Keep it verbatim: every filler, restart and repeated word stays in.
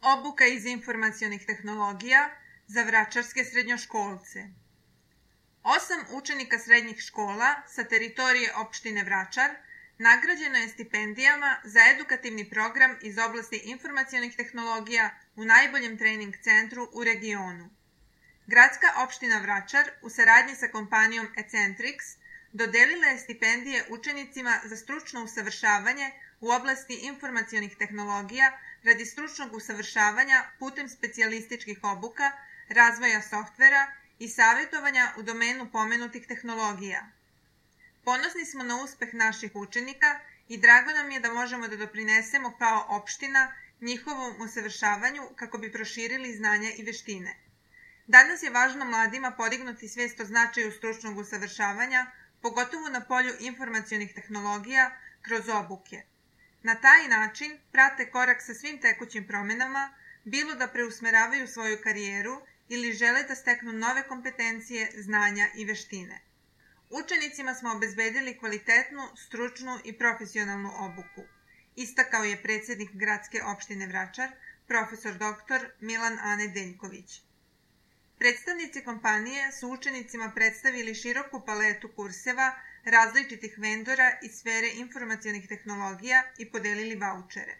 Obuka iz informacionih tehnologija za vračarske srednjoškolce. Osam učenika srednjih škola sa teritorije opštine Vračar nagrađeno je stipendijama za edukativni program iz oblasti informacionih tehnologija u najboljem trening centru u regionu. Gradska opština Vračar u saradnji sa kompanijom Ecentrix dodelila je stipendije učenicima za stručno usavršavanje u oblasti informacionih tehnologija radi stručnog usavršavanja putem specijalističkih obuka, razvoja softvera i savjetovanja u domenu pomenutih tehnologija. Ponosni smo na uspeh naših učenika i drago nam je da možemo da doprinesemo kao opština njihovom usavršavanju kako bi proširili znanja i veštine. Danas je važno mladima podignuti svest o značaju stručnog usavršavanja, pogotovo na polju informacionih tehnologija, kroz obuke. Na taj način prate korak sa svim tekućim promenama, bilo da preusmeravaju svoju karijeru ili žele da steknu nove kompetencije, znanja i veštine. Učenicima smo obezbedili kvalitetnu, stručnu i profesionalnu obuku, istakao je predsednik Gradske opštine Vračar, profesor doktor Milan Ane Deljković. Predstavnici kompanije su učenicima predstavili široku paletu kurseva različitih vendora iz sfere informacionih tehnologija i podelili vaučere.